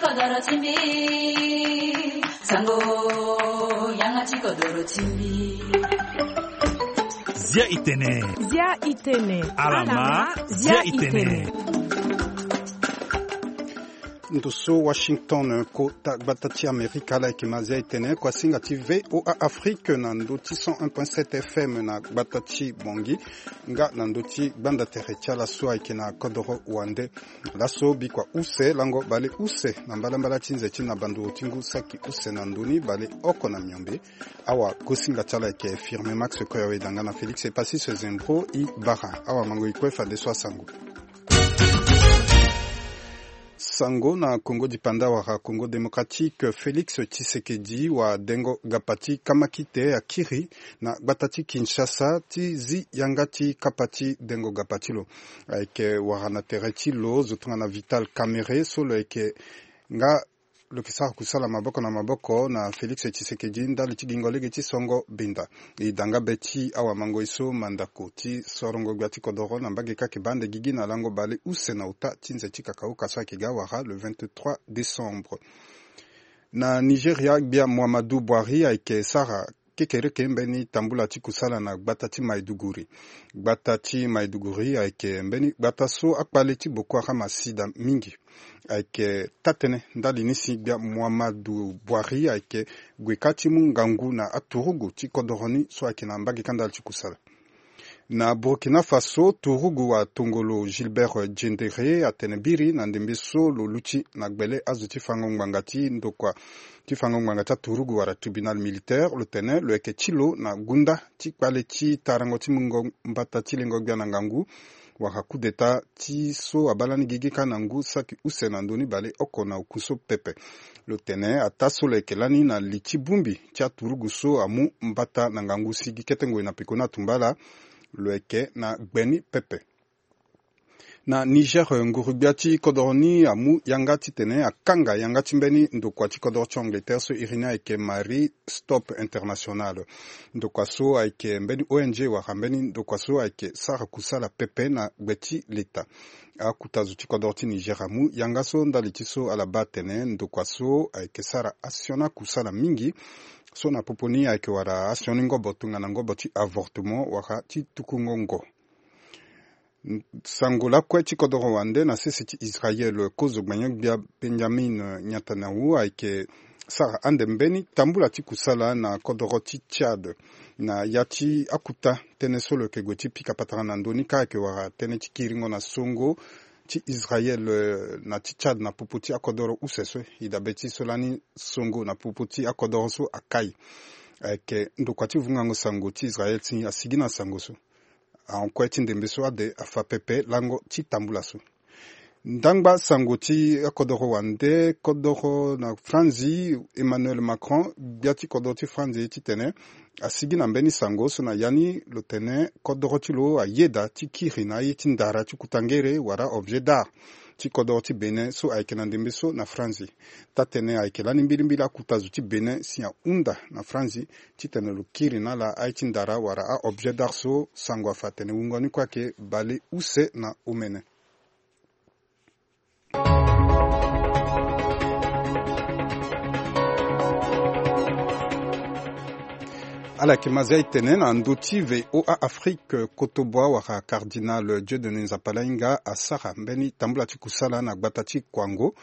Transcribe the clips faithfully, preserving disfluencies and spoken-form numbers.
Kodoro ti mbi, sango, yanga ti kodoro ti mbi. Zia itene. Zia itene. Alama, zia itene. Ndo so Washington, kota gbata ti Amerika, ala yeke ma zia itene, kuasinga ti V O A Afrique na ndo ti cent un point sept F M na gbata ti Bongi, nga na ndo ti gbanda tere ti ala so ayeke na kodoro wande. Laso bikua use lango bale use na mbalambala ti nze ti na banduru ti ngu saki use na ndoni bale oko na miombe. Awa gosinga ti ala yeke Firme Max Koyawe danga na Félix Epasis Zembro i bara. Awa mango i kue fadeso asango. Sango na Congo dipanda wara Congo démocratique, Félix Tshisekedi wa dengo gapa ti kamakite akiri na gbata ti Kinshasa ti zi yanga ti kapa ti dengo gapa ti lo. Ayeke wara na tere ti lo zo tongana Vital Kamerhe so lo yeke nga lo yeke sara kusala maboko na maboko na Félix Tshisekedi ndali ti gingo lege ti songo benda. E danga be ti awamango e so mandako ti sorongo gbia ti kodoro na mbage kake bande gigi na lango bale use na ota ti nze ti kakauka so ayeke ga wara le vingt-trois décembre. Na Nigeria, gbia Muhammadu Buhari ayeke sara kekereke mbeni tambula ti kusala na gbata ti Maiduguri. Gbata ti Maiduguri ayeke mbeni gbata so akpale ti Boko Haram asi daa mingi. Ayeke taa-tënë ndali ni si gbia Muhammadu Buhari ayeke gue kâ ti mu ngangu na aturugu ti kodoro ni so ayeke na mbage kâ ndali ti kusala. Na Burkina Faso, turugu wa tongolo Gilbert Diendéré atene biri na ndembe so lo luti na gbele azo ti fango ngbanga ti ndokua ti fango ngbanga ti aturugu wala tribunal militaire, lo tene lo yeke ti lo na gunda ti kpale ti tarango ti mungo mbata ti lengo gbia na ngangu wala coup d'état ti so abaa lani gigi kâ na ngu saki use na ndö ni baleoko na oku so pepe. Lo tene ataa so lo yeke lani na li ti bongbi ti aturugu so amu mbata na ngangu si gi kete ngoi na peko ni atumba ala, lo yeke na gbe ni pepe. Na Niger, nguru-gbia ti kodoro ni amu yanga titene akanga yanga ti mbeni ndokua ti kodoro ti Angleterre so iri ni ayeke Marie Stopes International. Ndokua so ayeke mbeni O N G wala mbeni ndokua so ayeke sara kusala pepe na gbe ti leta. Akuta zo ti kodoro ti Niger amu yanga so ndali ti so ala baa atene ndokua so ayeke sara asioni akusala mingi so na popo ni ayeke wara asioni ngobo tongana ngobo ti avortement wala ti tukungo ngo. Sango lakue ti kodoro wande na sese ti Israel, kozo gbanya-gbia Benjamin Netanyahu ayeke sara ande mbeni tambula ti kusala na kodoro ti Tchad. Na ya ti akuta tënë so lo yeke gue ti pika patara na ndö ni kâ ayeke wara tënë ti kiringo na songo ti Israel, eh, na ti Tchad na popo ti akodoro use so. E dabe ti so lani songo na popo ti akodoro so akai. Ayeke ndokua ti vungango sango ti Israel si asigi na sango so. Ahon kue ti ndembe so ade afa pepe lango ti tambula so. Ndangba sango ti akodoro wande, kodoro na Franzi, Emmanuel Macron, gbia ti kodoro ti Franzi, titene asigi na mbeni sango so na ya ni lo tene kodoro ti lo ayeda ti kiri na aye ti ndara ti kutangere wala objet d'art ti kodoro ti Bénin so ayeke na ndembe so na Franzi. Taa-tënë ayeke lani mbilimbili akuta zo ti Bénin si ahunda na Franzi titene lo kiri na ala aye ti ndara wala a-objet d'art so sango afa atene wungo ni kue ayeke bale use na omene. Ala yeke ma zia e tene na ndö ti V O A Afrique, kotobua wala cardinal Dieudonné Nzapalainga asara mbeni tambula ti kusala na gbata ti Kouango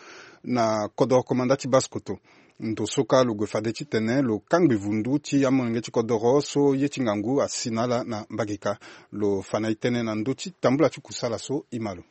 na kodoro komanda ti Basse-Kotto. Ndo so kâ lo gue fade titene lo kangbi vundu ti amolenge ti kodoro so ye ti ngangu asi na ala na mbage kâ. Lo fa na e tënë na ndö ti tambula ti kusala so e ma lo.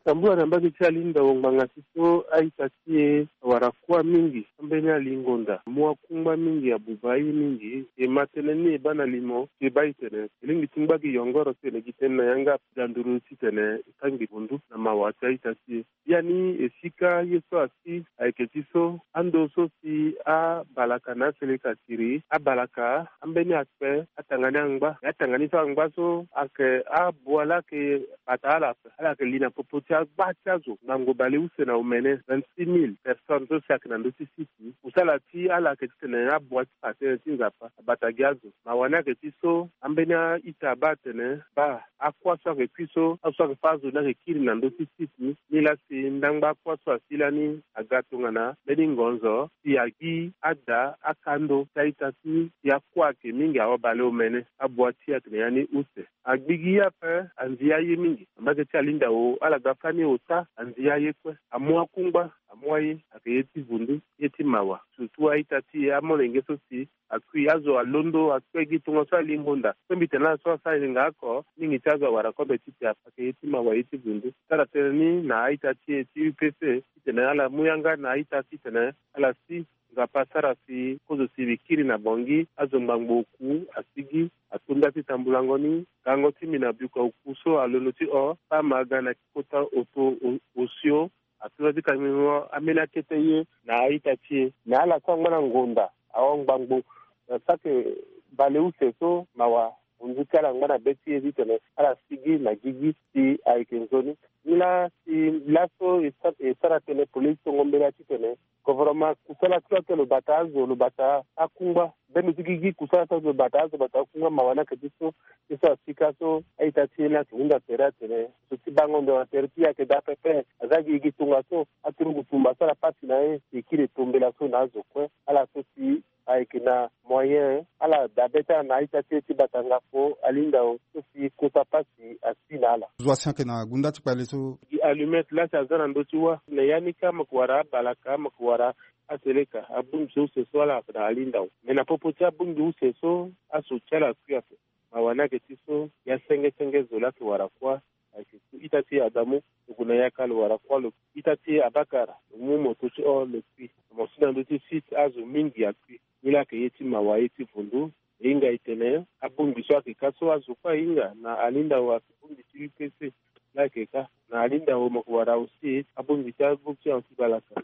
Tambula na mbage ti alinda wo ngbanga ti so a-ita ti e awara kuâ mingi ambeni alingonda. Amu akungba mingi, abuba aye mingi. E ma tënë ni e baa na limo si e baa e tene e lingbi ti ngba gi yongoro titene gi tënë na yanga ga nduru titene e kangbi vundu na mawa ti a-ita ti e. Biani e sika ye so asi ayeke ti so ando so si abalaka na aseleka siri abalaka ambeni akpe atanga ni angba. Atanga ni so angba so ayeke abua laa ayeke bata ala ape ala yeke li na popo ti Agba ti azo ngangu baleuse na omene vingt-six mille personnes so si ayeke na ndö ti site ni. Kusala ti ala ayeke titene abua ti fa tënë ti Nzapa abata gi azo. Mawa ni ayeke ti so ambeni a-ita abaa atene baa, akuâ so ayeke kui so, azo so ayeke fâ azo ni ayeke kiri na ndö ti site ni. Nilaa si ndangba akuâ so asi lani aga tongana mbeni ngonzo si agi ada akando ti a-ita ti e. Akuâ ayeke mingi, awa baleomene. Abua ti e ayeke na ya ni use. Agbi gi ye ape, anzi aye mingi. Mbage ti alinda wo, ala ga fani ota, anzi aye kue. Amu akungba, amu aye, ayeke ye ti vundu, ye ti mawa. Surtout a-ita ti e, amolenge so si akui, azo alondo akpe gi tongaso alingo nda. Kue mbi tene ala so asara hinga oko, mingi ti azo awara kobe ti te ape. Ayeke ye ti mawa, ye ti vundu. Sara tënë ni na a-ita ti e ti U P C titene ala mu yanga na a-ita titene ala si Nzapa asara si kozo si mbi kiri na Bangui, azo ngbangbo oku asigi, ato nda ti tambulango ni. Gango ti mbi na biuka oku so alondo ti hon, paa ma aga na kota oto o-, osio, ato nda ti kangingo ambeni akete ye na a-ita ti e. Na ala so angba na ngonda ahon ngbangbo, na saki baleuse so mawa. Hunzi ti ala angba na be ti e titene ala sigi na gigi si ayeke nzoni. Nilaa si laso e sa-, e sara tënë polele ti tongo mbela titene gouvernement kusala ti lo ake lo bata azo, lo bata akungba. Mbeni ti gigi kusala ti azo lo bata azo, bata akungba. Mawa ni ayeke ti so, ti so asika so a-ita ti e ni ayeke hunda tere atene zo ti bango ndo na tere ti e ayeke daa pepe. Aza gi gi tongaso aturugu tumba asara pasi na e, e kiri e to mbela so na azo kue. Ala so si ayeke na moyen, ala dabe ti ala na a-ita ti e ti bata ngafo, alinda wo, so si kota pasi asi na ala. Zo asi ayeke na gunda ti kpale so. Gi allumette laa si aza na ndö ti wâ. Na ya ni kâ mo yeke wara abalaka, mo yeke wara aseleka, abongbi so use so ala na alinda wo. Me na popo ti abongbi use so, aso ti ala akui ape. Mawa ni ayeke ti so, ya senge senge zo laa ayeke wara kuâ. Ayeke so ita ti e Adamu, lo gue na yaka lo wara kuâ lo kui. Ita ti e Abakara, lo mu moto ti hon lo kui. Mo si na ndö ti site azo mingi akui. Nilaa ayeke ye ti mawa, ye ti vundu. E hinga e tene abongbi so ayeke kâ so azo kue ahinga na alinda wo, ayeke bongbi ti U P C laa ayeke kâ. Na alinda wo mo yeke wara aussi abongbi ti agroupe ti anti-balaka.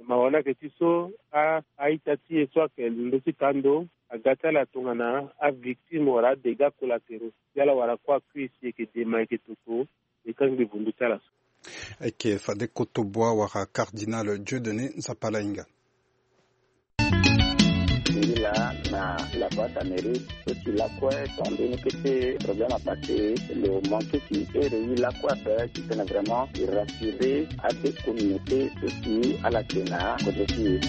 Mawa ni ayeke ti so, a, a-ita ti e so ayeke ndö ti kando, aga ti ala tongana avictime wala adégâts collatéraux. Si ala wara kuâ akui si e yeke dema, e yeke toto, e kangbi vundu ti ala so. Ayeke fade kotoboa wala cardinal Dieudonné Nzapalainga. Ngi laa na la voix d'Amérique. Ti lakue ton mbeni kete problème apase lo manke ti ere ye lakue ape titene vraiment e rassurer ade communauté so si ala yeke na kodro ti e.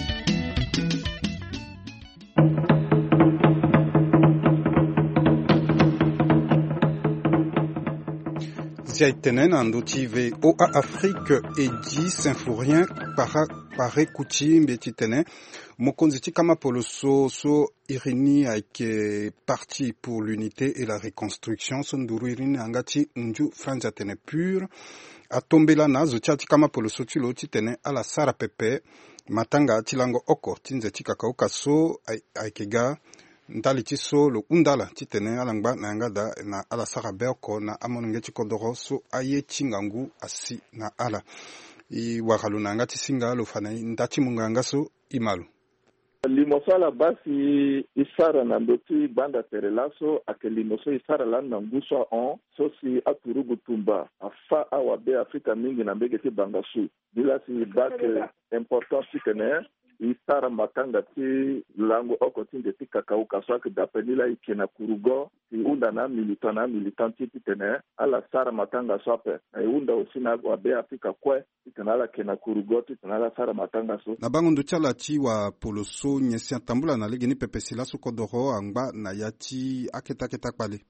Zia e tene na ndö ti V O A Afrique, Eddy Symphorien Kpara, Kpare Kuti, mbi ye ti tene mokonzi ti kama poloso so iri ni ayeke Parti pour l'Unité et la Reconstruction, so nduru iri ni na yanga ti nzu Franzi atene PUR, atombela na azo ti ala ti kama poloso ti lo titene ala sara pepe matanga ti lango oko ti nze ti kakaoka so ay-, ayeke ga ndali ti so lo hunda ala titene ala ngba na yanga daa na ala sara be oko na amolenge ti kodoro so aye ti ngangu asi na ala. E wara lo na yanga ti singa, lo fa na e nda ti mungo yanga so e ma lo. Limo so ala baa si e sara na ndö ti gbanda tere laso ayeke limo so e sara lani na ngu so ahon, so si aturugu tumba afâ awabe Afrika mingi na mbege ti bangasu. Nilaa si e baa ayeke important titene e sara matanga ti lango oko ti nze ti kakaoka so ayeke daa ape. Nilaa e yeke na kurugo, e hunda na amilitant na amilitant ti e titene ala sara matanga so ape. Na e hunda aussi na awabe Afrika kue titene ala yeke na kurugo titene ala sara matanga so. Na bango ndo ti ala ti wapoloso, nyen si atambula na legeni pepe si laso kodoro angba na ya ti akete akete akpale?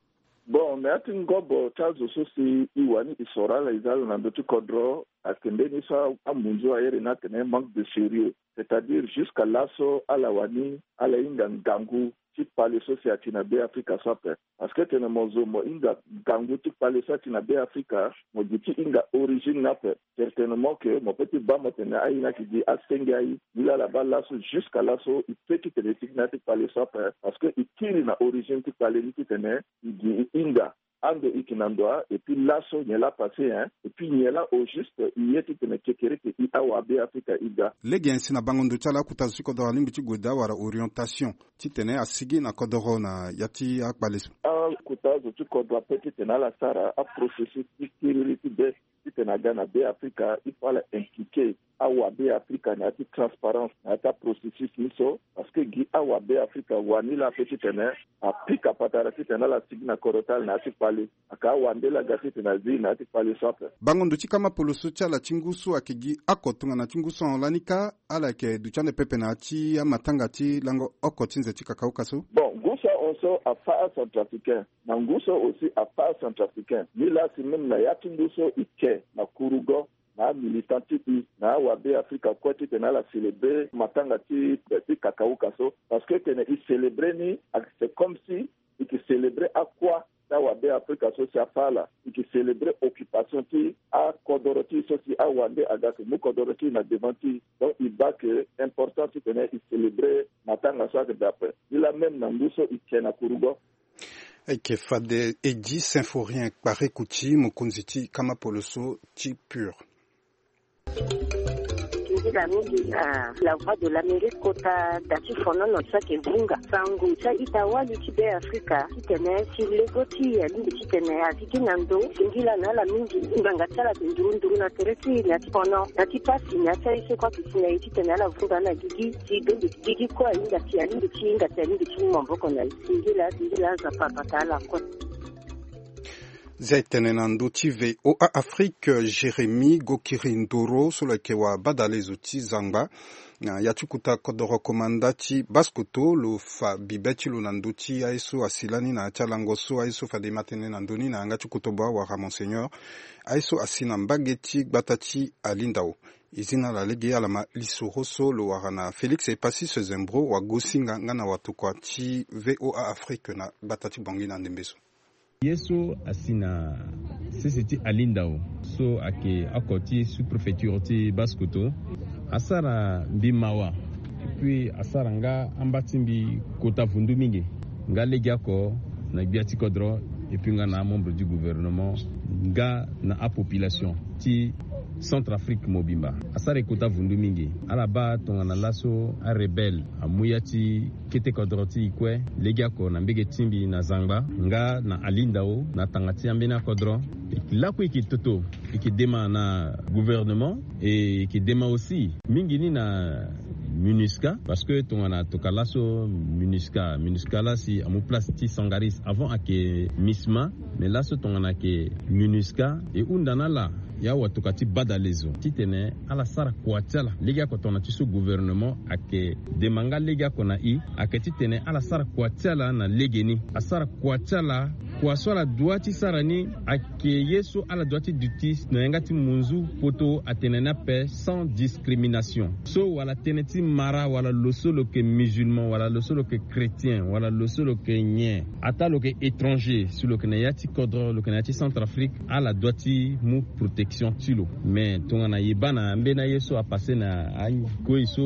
Bon, na ya ti ngobo ti azo so si e wani e soro ala, e zia lo na ndö ti kodro, ayeke mbeni so amunzu airi ni atene manque de sérieux. C'est-à-dire, jusqu'à laso ala wani ala hinga ngangu ti kpale so si ati na Be Afrika so ape. Parce que tene mo zo mo hinga ngangu ti kpale so ati na Be Afrika, mo gi ti hinga origine ni ape. Certainement que mo peut ti baa mo tene aye ni ayeke gi asenge aye. Nilaa ala baa laso, jusqu'à laso e peut titene e sigi na ya ti kpale so ape. Parce que e kiri na origine ti kpale ni titene e gi e hinga ando i yeke na ndo wa, et puis laso nyen laa apasse, hein, et puis nyen laa au juste i ye titene kekereke i awa Be Afrika i ga. Lege nyen si na bango ndo ti ala akota zo ti kodoro alingbi ti gue daa wala orientation titene asigi na kodoro na ya ti akpale so? Akota zo ti kodro ape titene ala sara aprocessus ti kiriri ti be titene aga na Be Afrika, il faut ala impliquer awa Be Afrika na ya ti transparence na ya ti aprocessus ni so, parce que gi awa Be Afrika wani laa ape titene apika patara titene ala sigi na kodro ti ala na ya ti kpale. Aka awa nde laa aga titene azi na ya ti kpale so ape. Bango ndo ti kama polo so ti ala ti ngu so ayeke gi oko tongana ti ngu so ahon lani kâ, ala yeke duti ande pepe na ya ti amatanga ti lango oko ti nze ti kakauka so. Bon, ngu so ahon so afa acentrafricain, na ngu so aussi afa acentrafricain. Ni laa si même na ya ti ngu so e ke na kurugo na amilitant ti e na awa Be Afrika kue titene ala célébrer matanga ti, ti kakauka so. Parce que tene e célébrer ni, c'est comme si e ke célébrer akua ti awa Be Afrika so si afa ala. E ke célébrer occupation ti akodoro ti e so si awa nde aga ke mu kodoro ti e na devant ti e. Donc e baa ke important titene e célébrer matanga so ayeke daa ape. Ni laa même na ngu so e ke na kurugo. Ayeke fade Eddy Symphorien Kparekouti, mokonzi ti kama polo so ti Pur. Nzila mingi na La Voix de l'Amérique kota da ti fonono so ayeke vunga sango ti a-ita wali ti Be Afrika titene si lego ti e alingbi titene aziki na ndo. Singila na ala mingi ngbanga ti ala ayeke nduru nduru na tere ti e na ya ti fono na ya ti pasi na ya ti aye so kue ayeke si na e titene ala vunga na gigi. Ti dongi gigi kue ahinga si alingbi ti hinga si alingbi ti mu maboko na e. Singila singila Nzapa abata ala kue. Zia e tene na ndö ti V O A Afrique, Jérémie Gokiri Ndoro so lo yeke wa badalezo ti zangba na ya ti kota kodoro komanda ti Basse-Kotto lo fa bibe ti lo na ndö ti aye so asi lani na ya ti alango so aye so fade e ma tene na ndö ni na yanga ti kotobo awara Monseigneur aye so asi na mbage ti gbata ti Alindao. E zi na ala lege ala ma lisoro so lo wara na Félix Epassis Zembro wagosinga nga na watokua ti V O A Afrique na gbata ti Bangui na ndembe so. Ye so asi na sese ti Alindao so ayeke oko ti sous-préfecture ti Basse-Kotto asara mbi mawa. Epui asara nga amba ti mbi kota vundu mingi nga legeoko na gbia ti kodro epui nga na amembre du gouvernement nga na apopulation ti Centrafrique mobimba. Asara e kota vundu mingi. Ala baa tongana laso arebelle amu ya ti kete kodro ti e kue legeoko na mbege ti mbi na zangba nga na Alindao na tanga ti ambeni akodro. Lakue e ke toto e ke dema na gouvernement e ke dema aussi mingi ni na MINUSCA parce que tongana toka laso MINUSCA MINUSCA laa si amu place ti Sangaris avant ayeke MISMA. Mais laso tongana ayeke MINUSCA e hunda na ala ya watoka ti badalezo titene ala sara kua ti ala legeoko tongana ti so gouvernement ayeke dema nga legeoko na e ayeke titene ala sara kua ti ala na legeni asara kua ti ala. Kua so ala dua ti sara ni ayeke ye so ala dua ti duti na yanga ti munzu poto atene ni ape sans discrimination so wala tënë ti mara wala lo so lo yeke musulman wala lo so lo yeke chrétien wala lo so lo yeke nyen ataa lo yeke étranger si lo yeke na ya ti kodro lo yeke na ya ti Centrafrique ala dua ti mu protection ti lo. Mais tongana e baa na ambeni aye so apasse na akoi so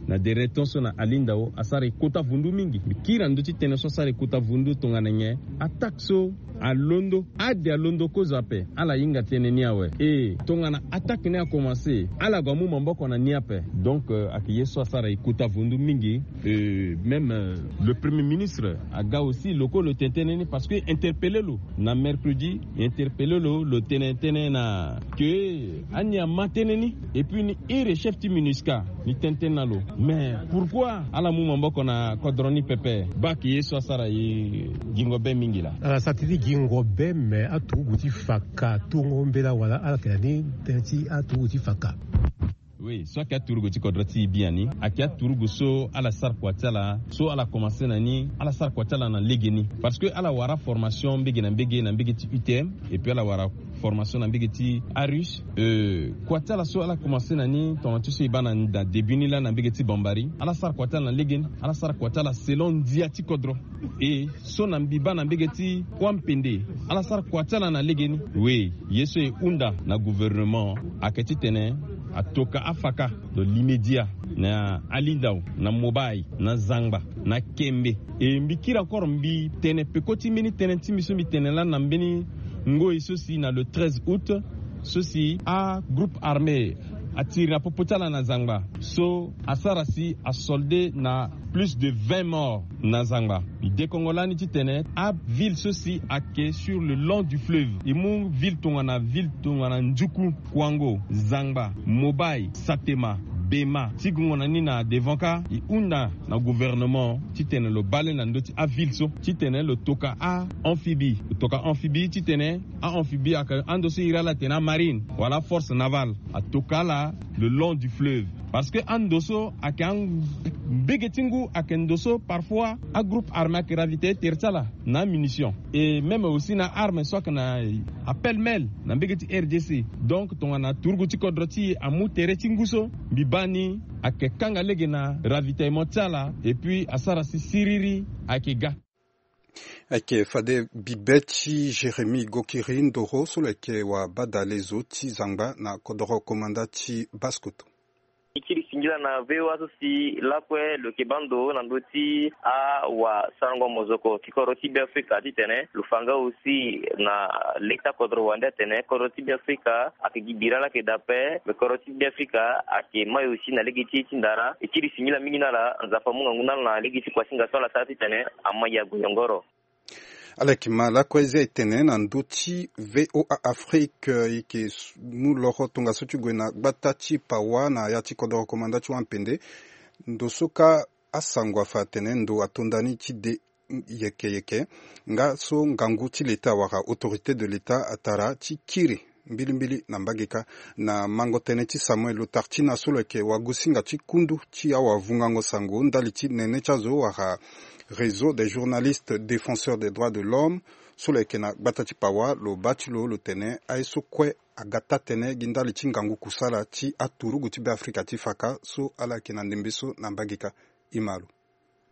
na dere ton so na Alindao asara e kota vundu mingi. Mbi kiri na ndö ti tënë so asara e kota vundu tongana nyen attaque so alondo ade alondo kozo ape ala hinga tënë ni awe. E tongana attaque ni akomanse ala gue amu maboko na ni ape. Donc ayeke ye so asara e kota vundu mingi. Même le premier ministre aga aussi lo kue lo tene tënë ni parce que interpellé lo na mercredi. Interpellé lo lo tene tënë na ke ani ama tënë ni. Epui ni iri chef ti MINUSCA ni tene tënë na lo mais pourquoi ala mu maboko na kodro ni pepe? Baa ke ye so asara e gingo be mingi laa. Ala sara tënë ti gingo be mais aturugu ti faka tongo mbela wala ala yeke na ni tënë ti aturugu ti faka. Oui so ayeke aturugu ti kodro ti e biani ayeke aturugu so ala sara kua ti ala so ala komanse na ni ala sara kua ti ala na legeni. Parce que ala wara formation mbege na mbege na mbege ti U T M epui ala wara formation na mbege ti arus. Kua ti ala so ala komanse na ni tongana ti so e baa na début ni laa na mbege ti Bambari ala sara kua ti ala na legeni. Ala sara kua ti ala selon ndia ti kodro. E so na mbi baa na mbege ti kuampende ala sara kua ti ala na legeni. We ye so e hunda na gouvernement ayeke titene atoka afaka lo limedia na alindao na mobai na zangba. na Kembe. E mbi kiri encore mbi tene peko ti mbeni tënë ti mbi so mbi tene lani na mbeni ngoi so si na le treize août so si agroupe armé atiri na popo ti ala na zangba so asara si asolde na plus de vingt morts na zangba. Mbi dekongo lani titene aville so si ayeke sur le long du fleuve, e mu ville tongana ville tongana Nduku, Kouango, Zangba, Mobaye, Satema, Bema, ti gongo na ni na devant kâ, e hunda na gouvernement titene lo bale na ndö ti aville so titene lo toka a-amphibie, lo toka amphibie titene a-amphibie ayeke ando so iri ala atene amarine wala aforce navale, atoka ala le long du fleuve. Parce que ando so ayeke a mbege ti ngu ayeke ndo so parfois agroupe armé ayeke ravitailler tere ti ala na amunition et même aussi na arme so ayeke na apel mel na mbege ti R D C. Donc tongana turugu ti kodro ti e amu tere ti ngu so, mbi baa ni ayeke kanga lege na ravitaillement ti ala et puis asara si siriri ayeke ga. Ayeke fade bibe ti Jérémie Gokiri Ndoro so lo yeke wabadale zo ti zangba na kodoro komanda ti Basse-Kotto. E kiri singila na V O A so si lakue lo yeke baa ndo na ndö ti awasarango mozoko ti kodro ti Beafrika titene lo fa nga aussi na leta kodro wande atene kodro ti Beafrika ayeke gi bira laa ayeke daa ape, me kodro ti Beafrika ayeke mai aussi na lege ti e ti ndara. E kiri singila mingi na ala, Nzapa amu ngangu na ala na lege ti kuasinga so ala sara titene amai ague yongoro. Ala yeke ma lakue zia e tene na ndö ti V O A Afrique, e yeke mu loro tongaso ti gue na gbata ti Pawa na ya ti kodoro komanda ti Wampende. Ndo so kâ asango afa atene ndo ato ndani ti de yeke yeke nga so ngangu ti leta wala autorité de leta atara ti kiri mbilimbili na mbage kâ. Na mango tënë ti Samuel Lotartina so lo yeke wagosinga ti kundu ti awavungango sango ndali ti nene ti azo wala Réseau des journalistes défenseurs des droits de l'homme so lo yeke na gbata ti Pawa, lo baa ti lo lo tene aye so kue aga taa-tënë gi ndali ti ngangu kusala ti aturugu ti Beafrika ti fa kâ so ala yeke na ndembe so na mbage kâ. E ma lo.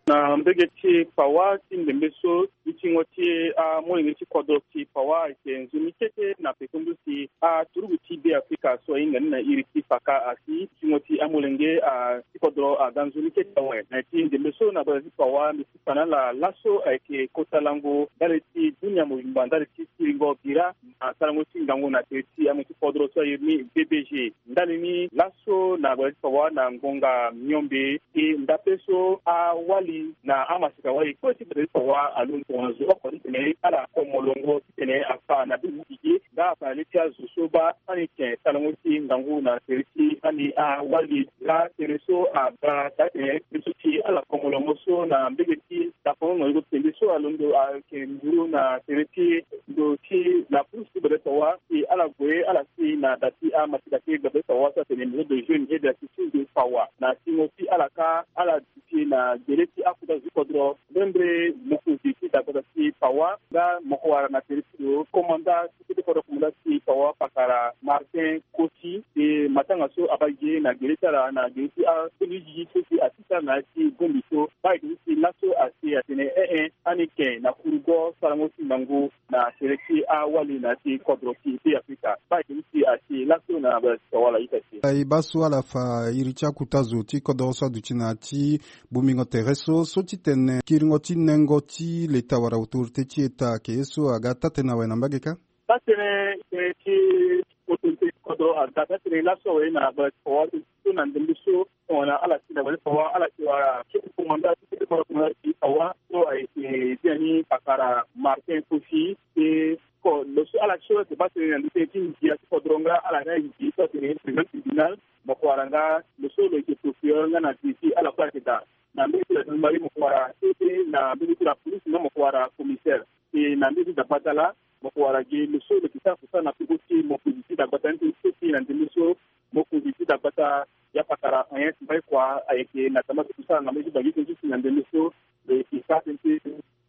Na mbege ti Pawa ti ndembe so, ti tingo ti amolenge ti kodro ti Pawa ayeke nzoni kete na peko ndusi aturugu ti Beafrika so ahinga ni na iri ti fa kâ asi. Ti tingo ti amolenge a ti kodro aga nzoni kete awe na ya ti ndembe so na gbata ti Pawa, mbi si fa na ala laso ayeke kota lango ndali ti dunia mobimba ndali ti siringo bira na sarango ti ngangu na tere ti amo ti kodro so airi ni B B G. Ndali ni laso na gbata ti Pawa na ngonga miombe, e ndape so awali na amaseka wali kue ti gbata ti Pawa alondo tongana zo oko titene ala ko molongo titene afa na be ti gigi nga afa na le ti azo so baa ani tene sarango ti ngangu na tere ti ani awali. Nga tënë so aga taa-tënë so ti ala ko molongo so na mbege ti dakongo na yoko titene so alondo ayeke nduru na tere ti ndo ti la police ti gbata ti Pawa si ala gue ala si na da ti amaseka ti gbata ti Pawa so atene Maison de Jeunes et d'Assistance de Pawa. Na singo ti ala kâ ala duti na gele ti akota zo ti kodro, mbrembre mokonzi ti dagbata ti Pawa nga moko wara na tere ti lo komanda ti kete kodro komanda ti Pawa pakara Martin Kosi. E matanga so abaa gi na gele ti ala na gele ti akoli gigi so si asisa na ya ti bongbi so, baa ayeke ni si laso asi atene ee, ani ke na kurugo sarango ti ngangu na tere ti awali na ya ti kodro ti Beafrika. Baa ayeke ni si asi laso na gbata ti Pawa ala ita si. E baa so ala fa iri ti akuta zo ti kodro so aduti na ya ti bongbingo tere so, so ti tene kiringo ti nengo ti leta wala autorité ti eta ayeke ye so aga taa-tënë awe na mbage kâ? Taa-tënë, tënë ti autorité ti kodro aga taa-tënë laso awe na gbata ti Pawa so na ndembe so tongana ala si na gbata ti Pawa ala si wala kete komanda ti kete kodro komanda ti Pawa so ayeke dia ni pakara Martin Kosi. E ko lo so ala so ayeke baa tënë na ndö tënë ti ndia ti kodro nga ala na ndia so atene président tribunal, moko wara nga lo so lo yeke procureur nga na D G ala kue ayeke daa. Na mbege ti la gendarmerie moko wara kete, na mbege ti la police nga moko wara commissaire. E na mbege ti dagbata laa moko wara ge lo so lo yeke sara kusala na peko ti mokonzi ti dagbata ni tënë ti so si na ndembe so mokonzi ti dagbata ya pakara Agnès Mbaï Koi ayeke na tama ti kusala na mbage ti Bangi tënë ti so si na ndembe so lo yeke sara tënë ti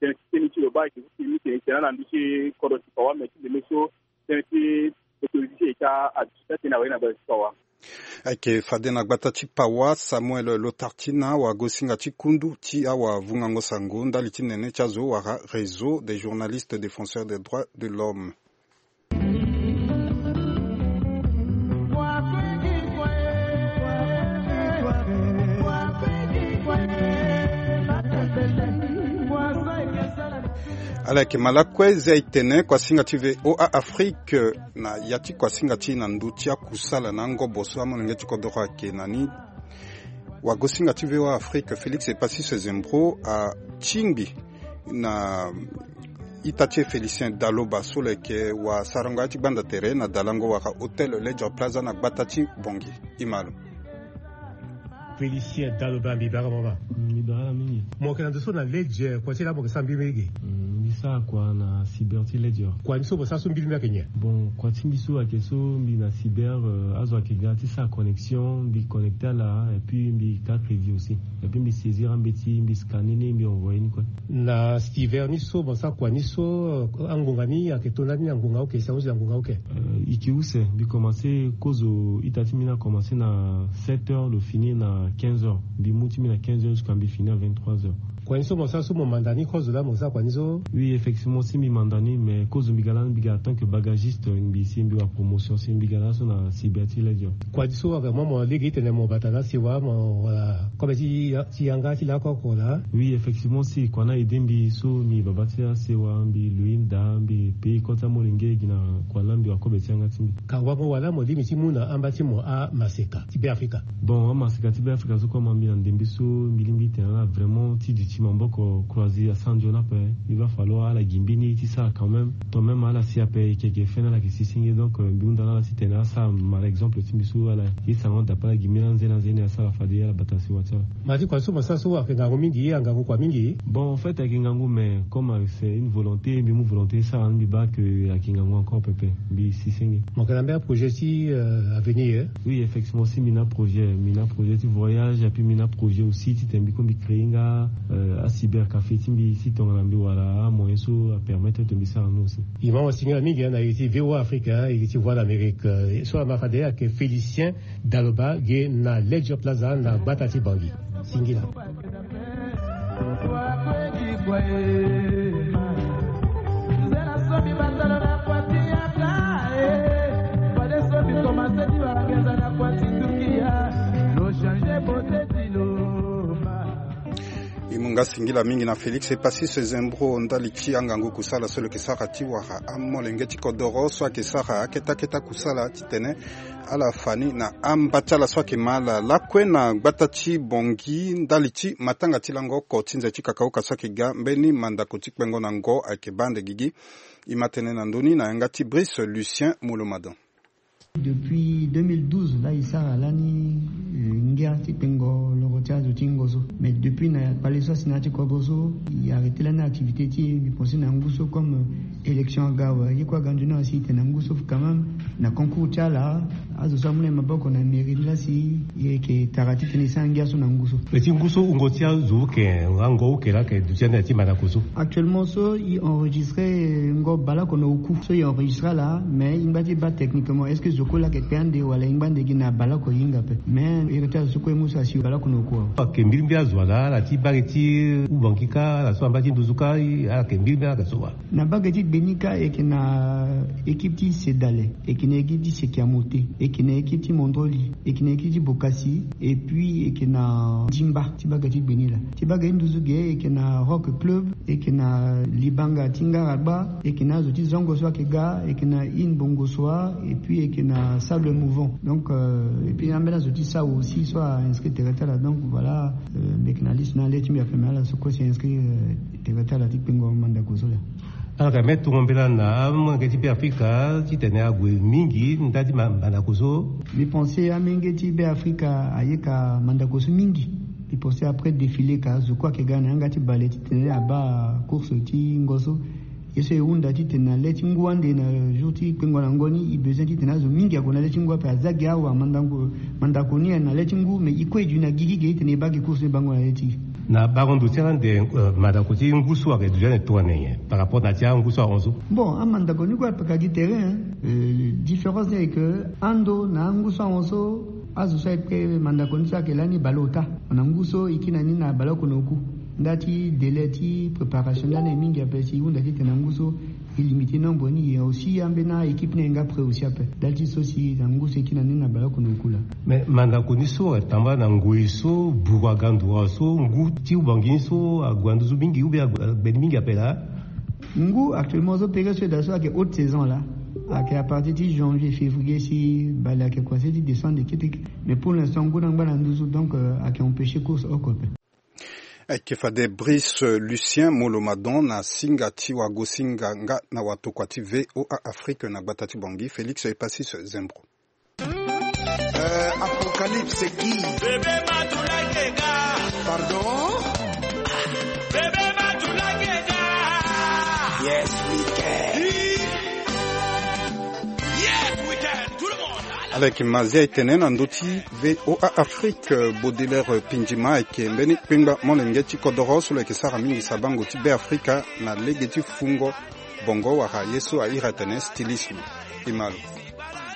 tënë ti tënë ti lo baa ayeke so si mbi tene tene na ndö ti kodro ti Pawa me ti ndembe so tënë ti autorité ti eta aduti taa-tënë awe na gbata ti Pawa. Ayeke fade na gbata ti Pawa Samuel Lotartina, wagosinga ti kundu ti awavungango sango ndali ti nene ti azo wala Réseau des journalistes défenseurs des droits de l'homme. Ala yeke ma lakue zia e tene kuasinga ti VOA Afrique na ya ti kuasinga ti na ndö ti akusala na angobo so amolenge ti kodoro ayeke na ni. Wagosinga ti VOA Afrique Félix Epassis Zembro atingbi na ita ti e Félicien Daloba so lo yeke wasarango ya ti gbanda tere na dalango wala Hôtel Ledger Plaza na gbata ti Bangui. E ma lo. Félicien Daloba, mbi baa mama. Mbi baa mingi. Mo yeke na ndo so na Ledger, kua ti laa mo yeke sara mbi mingi. Mbi sara kua na cyber ti Ledger. Kua ni so mo sara so mbili mbi ayeke nyen? Bon, kua ti mbi so ayeke so mbi na cyber, euh, azo ayeke ga ti sara connexion, mbi connecté ala et puis mbi ka crédit aussi. Et puis mbi saisir ambeti, mbi scanner ni, mbi envoyer ni kue. Na cyber ni so mo sara kua ni so, euh, angonga ni ayeke to ndani na ngonga oke, si ango si na ngonga oke? Euh, e ke use, mbi commencé kozo ita ti mbi ni akommence na sept heures, lo fini na quinze heures. Mbi mu ti mbi na quinze heures jusqu'à mbi fini à vingt-trois heures. Kua ni so mo sara so mo manda ni kozo laa mo sara kua ni so? Oui, effectivement, si mbi manda ni, mais kozo mbi ga lani, mbi ga en tant que bagagiste, mbi si mbi wara promotion, si mbi ga laso na cyber ti Ledger. Kua ni so vraiment mo lege ti tene mo bata na sewa mo wala kobe ti, ti yanga ti laa oko laa? Oui, effectivement, si kua ni a aidé mbi so mbi baba ti asewa, mbi lui nda, mbi payé kota molenge gi na kua ni laa mbi wara kobe ti yanga ti mbi. Ka wango wala mo lingbi ti mu na amba ti mo amaseka ti Beafrika? Bon, amaseka ti Beafrika so kue ama mbi na ndembe so mbi lingbi ti tene ala vraiment ti duti maboko croisé asara nzoni ape. Mbi baa falo ala gi mbeni ye ti sara quand même. Tant même ala si ape, e yeke, e yeke feni ala yeke si senge. Donc, euh, mbi hunda na ala ti tene asara mara exemple ti mbi so ala ye sarango dape ala gi mbeni anze na anze ni asara fade ala bata sewa ti ala. Ma ti kua so mo sara so ayeke ngangu mingi, angangu kua mingi? Bon, en fait, ayeke ngangu, mais comme, euh, c'est une volonté, mbi mu volonté sara ni, mbi baa que ayeke ngangu encore pepe, mbi si senge. Mo yeke na mbeni aprojet ti, euh, avenir? Oui, effectivement, si mbi na projet, mbi na projet ti voyage, et puis mbi na projet aussi ti tene mbi kue mbi créé nga, euh, acyber café ti mbi, si tongana mbi wara amoyen so apermettre ti mbi sara ni aussi. E ma mo singila mingi, eh, na iri ti VOA Afrique, eh, iri ti Voix d'Amérique, eh, so ama fade ayeke Félicien Daloba ge na Ledger Plaza na gbata ti Bangui. Singila. E mu nga singila mingi na Félix Epassis Zembro ndali ti angangu kusala so lo yeke sara ti wara amolenge ti kodoro so ayeke sara akete akete akusala titene ala fa ni na amba ti ala so ayeke ma ala lakue na gbata ti Bangui ndali ti matanga ti lango oko ti nze ti kakaoka so ayeke ga mbeni mandako ti kpengo na ngo ayeke baa ande gigi. E ma tene na ndö ni na yanga ti Brice Lucien Molomadan. Depuis deux mille douze laa e sara lani, eh, ngia ti kpengo loro ti azo ti ngo so. Mais depuis na kpale so asi na ya ti kodro so, e arrêté lani activité ti e. Mbi pensé na ngu so comme, eh, élection aga awe, ye kue aga nzoni awe si e tene na ngu so quand même na concours ti ala, azo so amu na e maboko na mairie ni laa si e yeke tara titene e sara ngia so na ngu so. Pe ti ngu so wungo ti azo uke nga ngo uke laa ayeke duti ande na ti mandako so? Actuellement so e enregistré, eh, ngo baleoko na oku so e enregistré ala, mais e ngba ti baa techniquement est-ce que zo kue laa ayeke kpe ande wala e ngba ande gi na baleoko e hinga ape. Mais iri ti azo so kue e mu so asi baleoko na oku awe. Ayeke mbirimbiri azo ala, ala ti baa gi ti Ubangui kâ, ala so amba ti nduzu kâ, ala yeke mbirimbiri ala yeke so wa. Na bage ti gbe ni kâ e yeke na équipe ti Sedale, e yeke na équipe ti Sekiamote, e yeke na équipe ti Mondroli, e yeke na équipe ti Bokasi, et puis e yeke na Dimba ti bage ti gbe ni laa. Ti bage ti nduzu ge e yeke na Rock Club, e yeke na Libanga ti Ngaragba, e yeke na azo ti Zongo so ayeke ga, e yeke na In Bongo Soa, et puis e yeke na Sable Mouvant. Donc, euh, et puis ambeni azo ti Sawo aussi so a inscrit tere ti ala. Donc voilà, euh, mbi yeke na liste na le ti mbi ape, mais ala so kue si inscrit, euh, tere ti ala ti kpengo mandako so laa. Alors, me tongo mbela na amolenge ti Beafrika titene ague mingi ndali ti ma-, mandako so. Mbi pensé amolenge ti Beafrika ayeka mandako so mingi. Mbi pensé après défilé ka zo kue ayeke ga na yanga ti bale titene abaa course ti ngo so. Ye so e hunda titene na le ti ngu ande na jour ti kpengo na ngo ni, e besoin titene azo mingi ague na le ti ngu ape. Aza gi awa mandako, mandako ni na le ti ngu, mais e kue e duti na gigi ge titene e baa gi course ni bango na le ti e. Na bango ndo ti ala ande, euh, mandako ti ngu so ayeke duti ande tongana nyen par rapport na ti angu so ahon so? Bon, amandako ni kue apeka gi tere, hein. Euh, différence ni ayeke ando na angu so ahon so, azo so ayeke mandako ni so ayeke lani baleota. Na ngu so e kiri na ni na baleoko na oku. Nda ti délai ti préparation ni lani aye mingi ape si e hunda titene na ngu so e limité nombre ni, e aussi ambeni a-équipe ni aye nga prêt aussi ape. Ndali ti so si na ngu so e kiri na ni na baleoko na oku laa. Mais mandako ni so atambula na ngoi so buru aga nduru so ngu ti Ubangui ni so ague na nduzu mingi ou bien ague, ague ni mingi ape laa? Ngu actuellement azo pege so eda so ayeke haute saison la. Ayeke à partir ti janvier, février si bale ayeke kua se ti descendre kete kete. Mais pour l'instant ngu na ngba na nduzu, donc euh, ayeke empêcher course oko ape. Ayeke fade Brice Lucien Molomadon na singa ti wagosinga nga na watokua ti V O A Afrique na gbata ti Bangui, Félix Epasis Zembro. Euh, Apocalypse qui? Bébé Matula Keka. Pardon? Bébé Matula Keka. Yes, we can. Yes, we can. Tout le monde. Avec Mazia Etene na ndö ti V O A Afrique, euh, Baudelaire Pindjima ayeke mbeni kpengba molenge ti kodoro so lo yeke sara mingi sabango ti Beafrika na lege ti fungo bongo wala ye so a iri atene stylisme. Ti malo.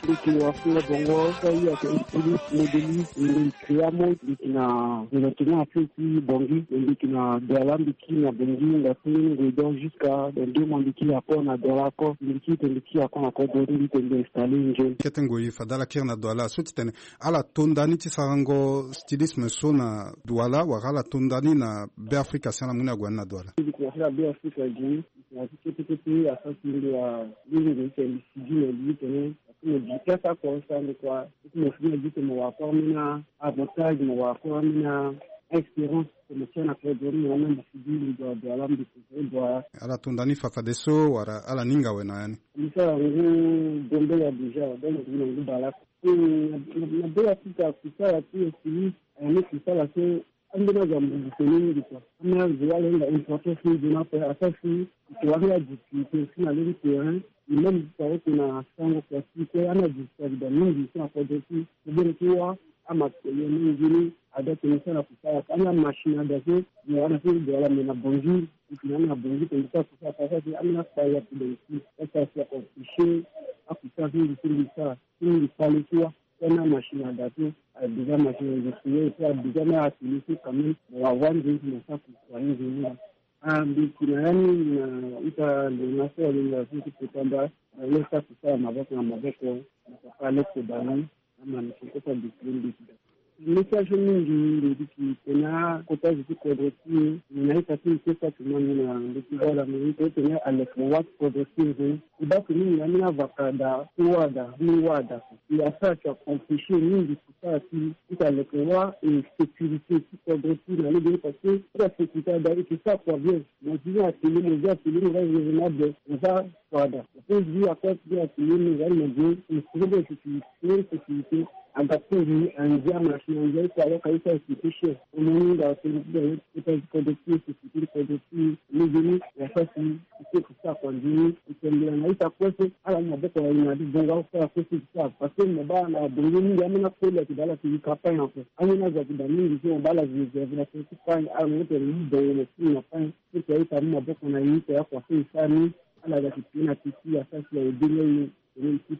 Mbi yeke na wafungo bongo so aye ayeke styliste, modéliste, mbi yeke créa mode, mbi yeke na développement affaire ti Bangui, mbi yeke na Douala, mbi yeke na Bangui, nga ti ngoi donc jusqu'à dans deux mois mbi yeke encore na Douala encore, mbi yeke tene mbi yeke encore na kodro ti mbi tene mbi installer nzoni. Kete ngoi fade ala kiri na Douala so ti tene ala to nda ni ti sarango stylisme so na Douala wala ala to nda ni na Beafrika si ala mu ni ague ni na Douala? Mbi yeke na Beafrika gi. Na ti kete kete asara ti mbi wa, mbi mbi tene mbi sigi na mbi tene. Parce que mo gi place oko so ande kua. Parce que mo fini na gi tene mo wara kua ambeni avantage, mo wara kua ambeni expérience. Tene mo tia na kodro ni mo wara mbi sigi mbi dua dua la mbi préféré dua. Ala to nda ni fa fadeso wala ala ninga awe na ya ni? Mbi sara ngu Gambela déjà, donc mbi na ngu bale oko. Na, na, na Beafrika kusala ti styliste, ayeke ni kusala so Ambeni azo ambubu tene mingi kua. Ambeni azo wala hinga importance mingi na ape, asara si e wara la difficulté aussi na lege ti terrain. E même ti tara oko na sango kua ti e kue, ambeni azo ayeke da mingi so na kodro ti e. Tobeni ti wara amatériel mingi ni, ada tene e sara na kusala. Ambeni amachine ada so, mo wara na so e wara me na Bangui, e tene na Bangui tene e sara kusala, asara si ambeni akpari ape donc si, asara si a empêcher akusala so mingi so mbi sara, so mingi kpale ti wara. Tena machine à gâteau, a déjà machine industrielle, et puis a déjà même atelier so quand même, bon, avant de dire ça, pour soigner de nous. Ah, mbi yeke na ya ni na ita lona so alingbi so ti kota nda, na lo sa ti sara maboko na maboko, na papa Alex Bani, na mama ti kota décidé mbi yeke da. Message mingi mbi yeke tene akota zo ti kodro ti e, na ita ti mbi so Fatima mbi na mbi ti bala mbi yeke tene aleke wâ ti kodro ti e nzoni. E baa tene mingi na ambeni avaka da ti wâ da, ambeni wâ da. E asara ti akomplisé mingi ti sara ti, ti aleke wâ e sécurité ti kodro ti na lege ni parce que ti asécurité ada e yeke sara kua bien. Mo zi ni atelier, mo zi atelier, mo za raisonnable, mo za kua da. Mo peut zi akua ti atelier, mo za ni mo zi e sere be sécurité, sécurité. Aga ti ngi andia machine andia ye ti awaka ye ti asécurité cher. Mo ni nga tene ti da ye ti kodro ti e, sécurité ti kodro ti e, lege ni e asara si e sara kua nzoni. Tembela na ita kue so ala mu maboko na e na abongo akue so e sara. Parce que mo baa na abongo mingi ambeni akoli ayeke daa ala yeke zi campagne ape. Ambeni azo ayeke daa mingi so mo baa ala zi réserve na tene ti pagne, ala mu tene mu bongo mo fini na pagne. So tene ita mu maboko na e, tene akua so e sara ni, ala ga ti pie na peti asara si aye be ni aye. Tene e ti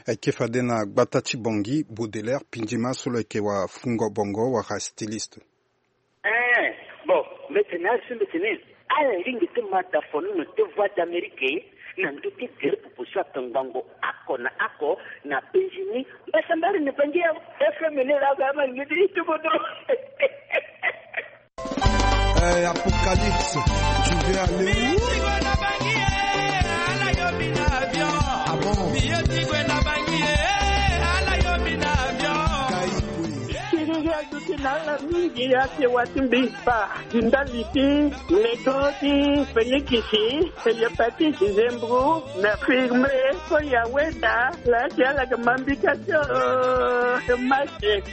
Ayeke fade na gbata ti Bangui, Baudelaire Pindjima so lo yeke wa fungo bongo wala styliste. Eh, bon, mbi tene azo so mbi tene ala lingbi ti ma da fono na te Voix d'Amérique na ndö ti gere popo so atongbango oko na oko na Bangui. Mbasambala ni Bangui ya F M ni la ga ma ni ti ti bodro. Eh, Apocalypse, tu veux aller où? Ah bon? Kiriri aduti na ala mingi ake wa ti mbi kpa. Ndali ti Metro ti Phoenix, Héliopatis Zembro, na firme, so ya weda, la ti ala ke mambika tio, ke mache.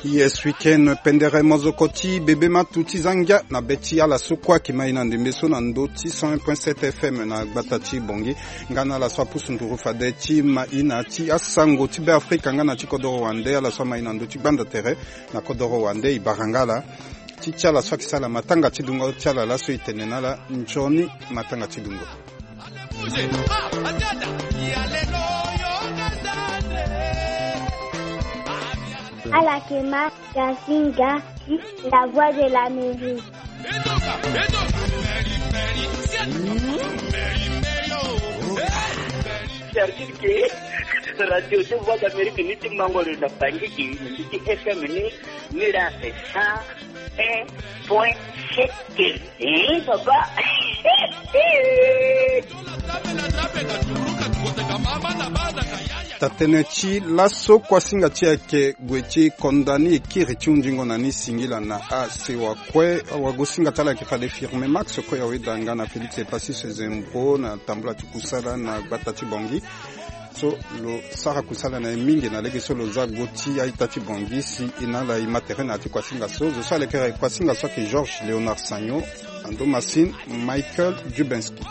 Yes, week-end, pendere mozoko ti bebe matu ti zangia na be ti ala so kue ayeke ma e na ndembe so na ndö ti cent un point sept F M na gbata ti Bangui. Nga na ala so apusu nduru fade ti ma e na ti asango ti Beafrika nga na ti kodoro wande, ala so ama e na ndö ti gbanda tere na kodoro wande, e bara nga ala. Ti ti ala so ayeke sara matanga ti dungo ti ala laso e tene na ala nzoni matanga ti dungo. Ala yeke ma Gazinga, la voix de l'Amérique. Service ke radio de Voix d'Amérique ni ti mango lo na Bangui ke ni ti F M ni ni ra cent un point sept. Eh, papa. Tatene ti laso kuasinga ti ayeke gue ti konda ni e kiri ti hunzingo na ni singila na asewa kue. Awagosinga ti ala ayeke fade firme Max kue awe danga na Félix Epasis Zembro na tambula ti kusala na gbata ti Bangui. So lo sara kusala na ye mingi na lege so lo za go ti a-ita ti Bangui si e na ala e ma tere na ya ti kuasinga so. Zo so alekere kuasinga so ayeke Georges Léonard Sagno. Ando Massine Michael Jubinski.